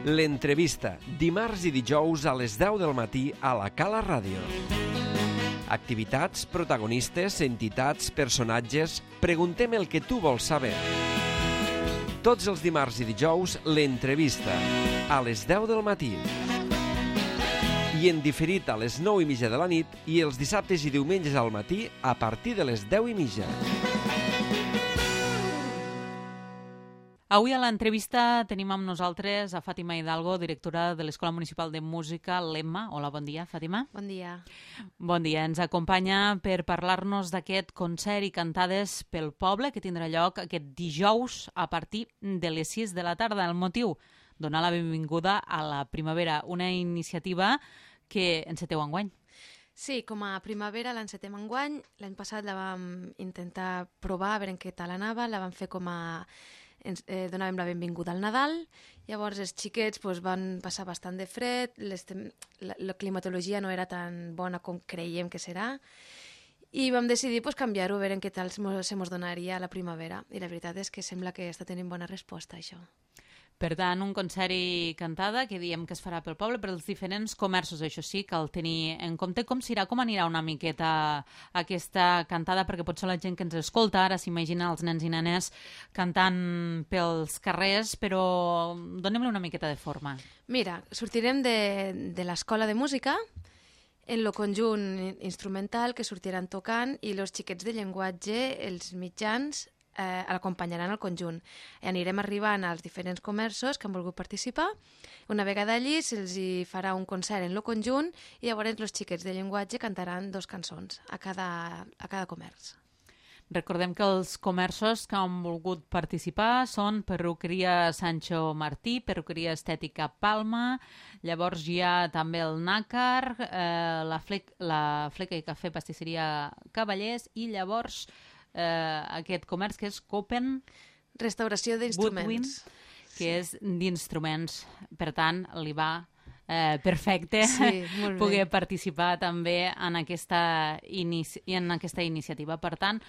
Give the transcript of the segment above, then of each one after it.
L'entrevista, dimarts i dijous a les 10 del matí a la Cala Ràdio. Activitats, protagonistes, entitats, personatges... Preguntem el que tu vols saber. Tots els dimarts i dijous, l'entrevista, a les 10 del matí. I en diferit a les 9:30 de la nit i els dissabtes i diumenges al matí a partir de les 10:30. Avui a l'entrevista tenim amb nosaltres a Fàtima Hidalgo, directora de l'Escola Municipal de Música, l'EMMA. Hola, bon dia, Fàtima. Bon dia. Bon dia. Ens acompanya per parlar-nos d'aquest concert i cantades pel poble que tindrà lloc aquest dijous a partir de les 6 de la tarda. El motiu, donar la benvinguda a la primavera, una iniciativa que enceteu enguany. Sí, com a primavera l'encetem enguany. L'any passat la vam intentar provar, a veure en què tal anava. La vam fer com a... donàvem la benvinguda al Nadal, llavors els xiquets van passar bastant de fred, la climatologia no era tan bona com creiem que serà, i vam decidir canviar-ho, a veure en què tal se mos donaria a la primavera, i la veritat és que sembla que està tenint bona resposta, això. Per tant, un concert i cantada que diem que es farà pel poble, per als diferents comerços, això sí, cal tenir en compte com anirà una miqueta aquesta cantada, perquè potser la gent que ens escolta ara s'imagina els nens i nenes cantant pels carrers, però donem-li una miqueta de forma. Mira, sortirem de l'Escola de Música, en el conjunt instrumental que sortiran tocant, i els xiquets de llenguatge, els mitjans, l'acompanyaran al conjunt. Anirem arribant als diferents comerços que han volgut participar. Una vegada allí se'ls farà un concert en el conjunt i llavors els xiquets de llenguatge cantaran 2 cançons a cada comerç. Recordem que els comerços que han volgut participar són Perruqueria Sancho Martí, Perruqueria Estètica Palma, llavors hi ha també el Nàcar, la Fleca i Cafè Pastisseria Cavallers i llavors aquest comerç que és Copen Restauració d'instruments. Woodwind, que és d'instruments. Per tant, li va perfecte poder participar també en aquesta iniciativa. Per tant,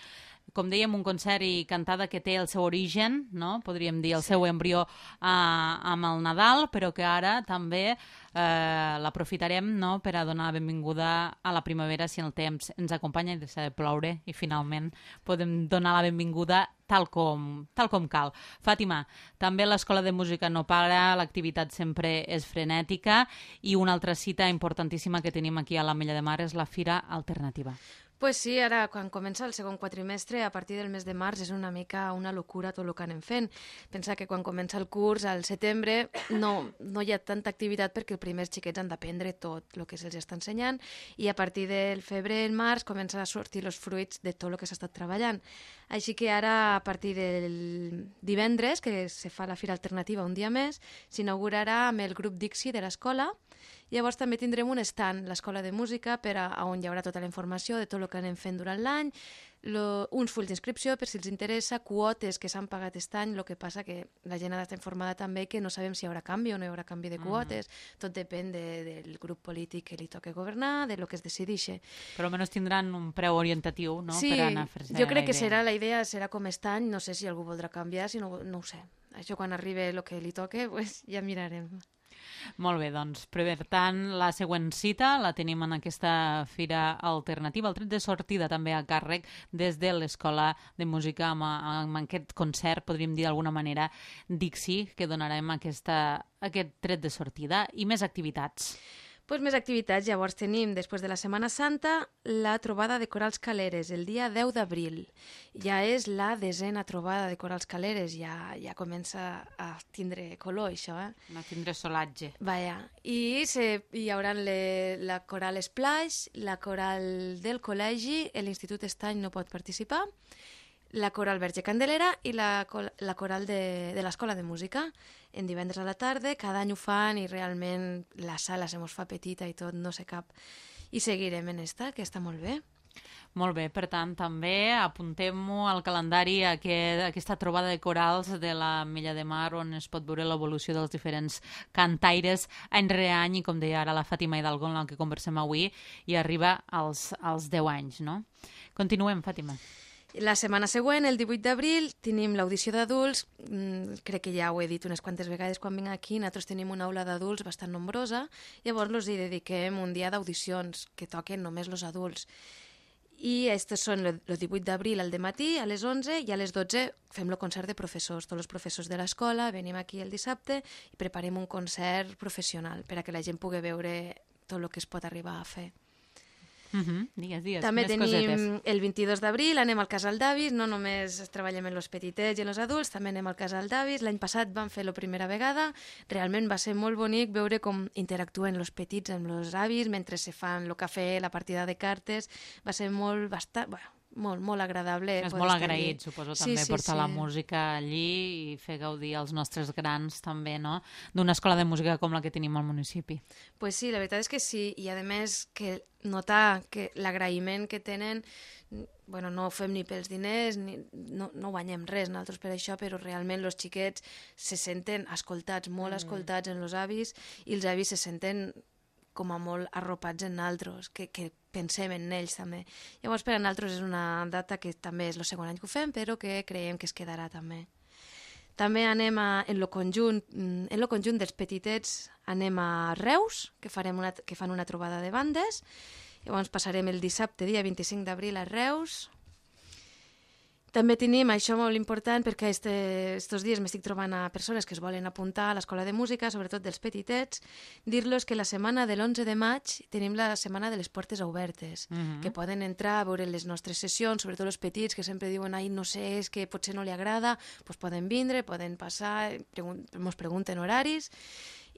com dèiem, un concert i cantada que té el seu origen, no? Podríem dir el seu embrió amb el Nadal, però que ara també l'aprofitarem, no?, per a donar la benvinguda a la primavera si el temps ens acompanya i deixa de ploure i finalment podem donar la benvinguda tal com cal. Fàtima, també l'Escola de Música no para, l'activitat sempre és frenètica i una altra cita importantíssima que tenim aquí a l'Ametlla de Mar és la Fira Alternativa. Pues sí, ara quan comença el segon quatrimestre, a partir del mes de març, és una mica una locura tot el que anem fent. Pensa que quan comença el curs, al setembre, no hi ha tanta activitat perquè els primers xiquets han d'aprendre tot el que se'ls està ensenyant i a partir del febrer, el març, comencen a sortir els fruits de tot el que s'ha estat treballant. Així que ara, a partir del divendres, que se fa la Fira Alternativa un dia més, s'inaugurarà amb el grup Dixi de l'escola. Llavors també tindrem un stand, l'Escola de Música, on hi haurà tota la informació de tot el que anem fent durant l'any, uns fulls d'inscripció per si els interessa, quotes que s'han pagat aquest any, el que passa que la gent ha d'estar informada també que no sabem si hi haurà canvi o no hi haurà canvi de quotes, tot depèn del grup polític que li toca governar, de lo que es decideixi. Però almenys tindran un preu orientatiu, no?, sí, per anar a fer-se jo crec que la idea serà com aquest any, no sé si algú voldrà canviar, si no ho sé. Això quan arribi el que li toque, pues, ja mirarem. Molt bé, doncs, per tant, la següent cita la tenim en aquesta Fira Alternativa, el tret de sortida també a càrrec des de l'Escola de Música amb aquest concert, podríem dir d'alguna manera, Dixi, que donarem aquest tret de sortida i més activitats. Pues més activitats, llavors tenim, després de la Setmana Santa, la trobada de corals caleres, el dia 10 d'abril. Ja és la 10a trobada de corals caleres, ja comença a tindre color, això, A tindre solatge. Vaja, i hi haurà la coral Splash, la coral del col·legi, l'Institut Estany no pot participar, la coral Verge Candelera i la coral de l'Escola de Música. En divendres a la tarda, cada any ho fan i realment la sala se mos fa petita i tot, no sé cap. I seguirem en que està molt bé. Molt bé, per tant, també apuntem-ho al calendari aquesta trobada de corals de l'Ametlla de Mar on es pot veure l'evolució dels diferents cantaires any rere any i, com deia ara la Fàtima Hidalgo, en la que conversem avui, i arriba als 10 anys, no? Continuem, Fàtima. La setmana següent, el 18 d'abril, tenim l'audició d'adults. Crec que ja ho he dit unes quantes vegades quan vinc aquí. Nosaltres tenim una aula d'adults bastant nombrosa. Llavors els hi dediquem un dia d'audicions que toquen només els adults. I estos són el 18 d'abril al dematí, a les 11, i a les 12 fem el concert de professors. Tots els professors de l'escola venim aquí el dissabte i preparem un concert professional per a que la gent pugui veure tot el que es pot arribar a fer. Digues, també més tenim cosetes. el 22 d'abril, anem al Casal d'Avis, no només treballem en els petitets i en els adults, també anem al Casal d'Avis. L'any passat vam fer la primera vegada, realment va ser molt bonic veure com interactuen els petits amb els avis mentre se fan el cafè, la partida de cartes, va ser molt agradable. És molt agraït, suposo, també portar la música allí i fer gaudir als nostres grans també, no?, d'una escola de música com la que tenim al municipi. Pues sí, la veritat és que sí, i a més que notar que l'agraïment que tenen, bueno, no ho fem ni pels diners, no guanyem res nosaltres per això, però realment els xiquets se senten escoltats, molt escoltats en els avis, i els avis se senten com a molt arropats en nosaltres, que pensem en ells també. Llavors per a nosaltres és una data que també és el segon any que ho fem, però que creiem que es quedarà també. També anem en el conjunt dels petitets, anem a Reus, que fan una trobada de bandes. Llavors passarem el dissabte, dia 25 d'abril, a Reus. També tenim, això molt important, perquè estos dies m'estic trobant a persones que es volen apuntar a l'escola de música, sobretot dels petitets, dir-los que la setmana de l'11 de maig tenim la setmana de les portes obertes, que poden entrar a veure les nostres sessions, sobretot els petits que sempre diuen, ai, no sé, és que potser no li agrada, doncs poden vindre, poden passar, ens pregunten horaris,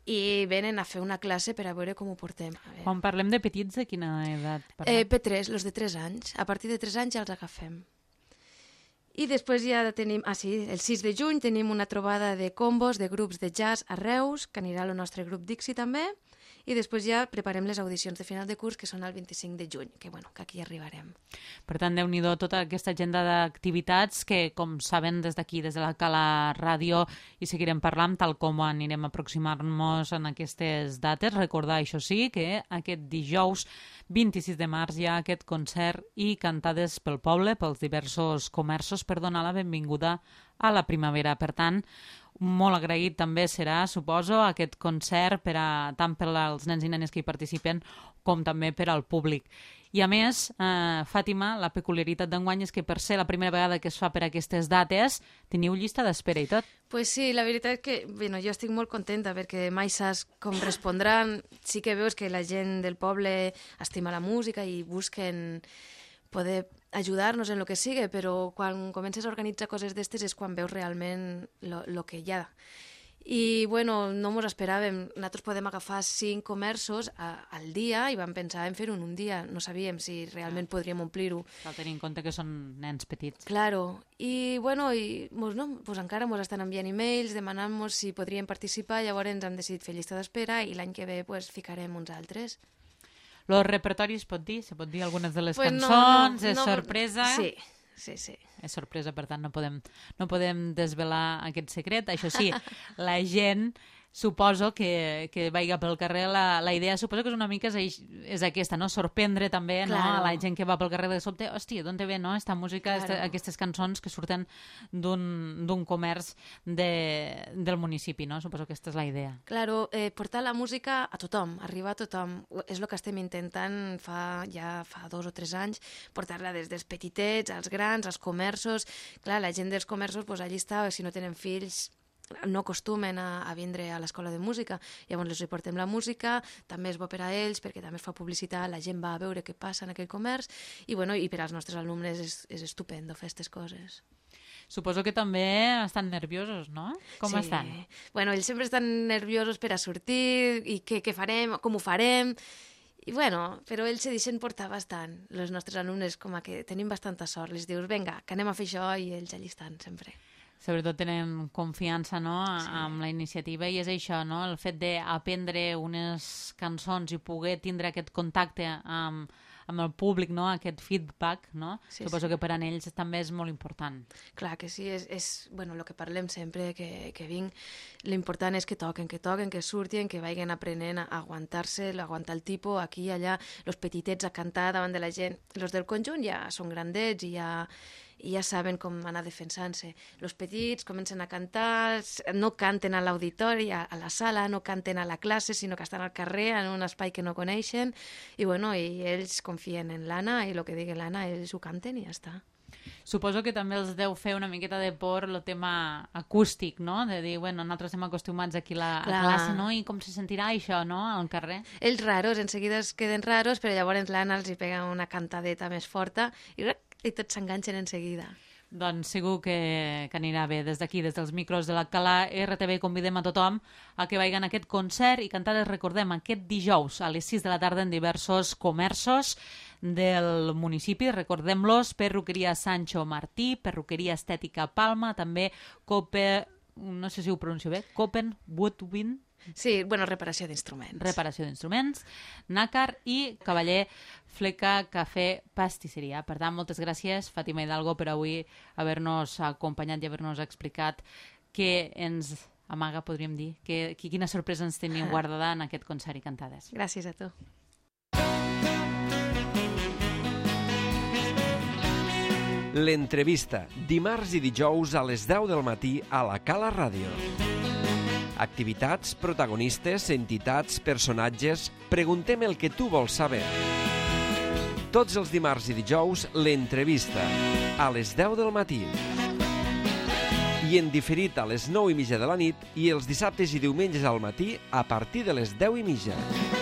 i venen a fer una classe per a veure com ho portem. Quan parlem de petits, de quina edat parlem? P3, els de 3 anys. A partir de 3 anys ja els agafem. I després ja tenim, el 6 de juny tenim una trobada de combos de grups de jazz a Reus, que anirà el nostre grup Dixi també, i després ja preparem les audicions de final de curs, que són el 25 de juny, que aquí arribarem. Per tant, Déu-n'hi-do tota aquesta agenda d'activitats que, com saben, des d'aquí, des de la Cala Ràdio, i seguirem parlant tal com anirem aproximar-nos en aquestes dates. Recordar, això sí, que aquest dijous 26 de març hi ha aquest concert i cantades pel poble, pels diversos comerços, per donar la benvinguda a la primavera. Per tant, molt agraït també serà, suposo, aquest concert tant per als nens i nenes que hi participen com també per al públic. I a més, Fàtima, la peculiaritat d'enguany és que per ser la primera vegada que es fa per aquestes dates teniu llista d'espera i tot. Pues sí, la veritat és que jo estic molt contenta perquè mai saps com respondran. Sí que veus que la gent del poble estima la música i busquen poder ajudar-nos en el que sigui, però quan comences a organitzar coses d'estes és quan veus realment el que hi ha. I, no mos esperàvem. Nosaltres podem agafar 5 comerços al dia i vam pensar en fer-ho en un dia. No sabíem si realment podríem omplir-ho. Cal tenir en compte que són nens petits. Claro. I, encara mos estan enviant e-mails demanant-nos si podríem participar, llavors hem decidit fer llista d'espera i l'any que ve ficarem uns altres. El repertori es pot dir? Se pot dir algunes de les cançons? És sorpresa? Sí. És sorpresa, per tant, no podem desvelar aquest secret. Això sí, la gent, suposo que vaiga pel carrer, la idea suposo que és una mica és aquesta, no? Sorprendre també, no? A la gent que va pel carrer de sobte, hòstia, d'on te ve, no? Esta música, aquestes cançons que surten d'un comerç del municipi, no? Suposo que aquesta és la idea. Claro, portar la música a tothom, arribar a tothom. És el que estem intentant fa 2 o 3 anys, portar-la des dels petitets, als grans, als comerços. Clar, la gent dels comerços, allà està, si no tenen fills, no acostumen a vindre a l'escola de música. Llavors els portem la música, també és bo per a ells, perquè també es fa publicitat, la gent va a veure què passa en aquell comerç, i per als nostres alumnes és estupendo fer aquestes coses. Suposo que també estan nerviosos, no? Com estan? Ells sempre estan nerviosos per a sortir, i què farem, com ho farem, però ells se deixen portar bastant. Els nostres alumnes, com que tenim bastanta sort, les dius, vinga, que anem a fer això, i ells allà estan sempre. Sobretot tenen confiança, no?, amb la iniciativa, i és això, no?, el fet d'aprendre unes cançons i poder tindre aquest contacte amb el públic, no?, aquest feedback, no? Suposo que per a ells també és molt important. Clar que sí, és el que parlem sempre que vinc. L'important és que toquen, que surtin, que vagin aprenent a aguantar-se, a aguantar el tipus, aquí i allà, els petitets a cantar davant de la gent. Els del conjunt ja són grandets i i ja saben com anar defensant-se. Els petits comencen a cantar, no canten a l'auditori, a la sala, no canten a la classe, sinó que estan al carrer, en un espai que no coneixen, i ells confien en l'Anna, i el que digui l'Anna, ells ho canten i ja està. Suposo que també els deu fer una miqueta de por el tema acústic, no? De dir, nosaltres estem acostumats aquí a la classe, no? I com se sentirà això, no?, al carrer. Ells raros, en seguida es queden raros, però llavors l'Anna els hi pega una cantadeta més forta i tots s'enganxen en seguida. Doncs segur que anirà bé. Des d'aquí, des dels micros de l'Alcalà RTV, convidem a tothom a que vagin a aquest concert i cantades, recordem, aquest dijous a les 6 de la tarda en diversos comerços del municipi. Recordem-los: Perruqueria Sancho Martí, Perruqueria Estètica Palma, també no sé si ho pronuncio bé, Copen Woodwind. Sí, reparació d'instruments. Reparació d'instruments, Nàcar i Cavaller Fleca Cafè Pastisseria. Per tant, moltes gràcies, Fàtima Hidalgo, per avui haver-nos acompanyat i haver-nos explicat què ens amaga, podríem dir, quina sorpresa ens teniu guardada en aquest concert i cantades. Gràcies a tu. L'entrevista, dimarts i dijous a les 10 del matí a la Cala Ràdio. Activitats, protagonistes, entitats, personatges... Preguntem el que tu vols saber. Tots els dimarts i dijous, l'entrevista, a les 10 del matí. I en diferit a les 9:30 de la nit i els dissabtes i diumenges al matí a partir de les 10:30.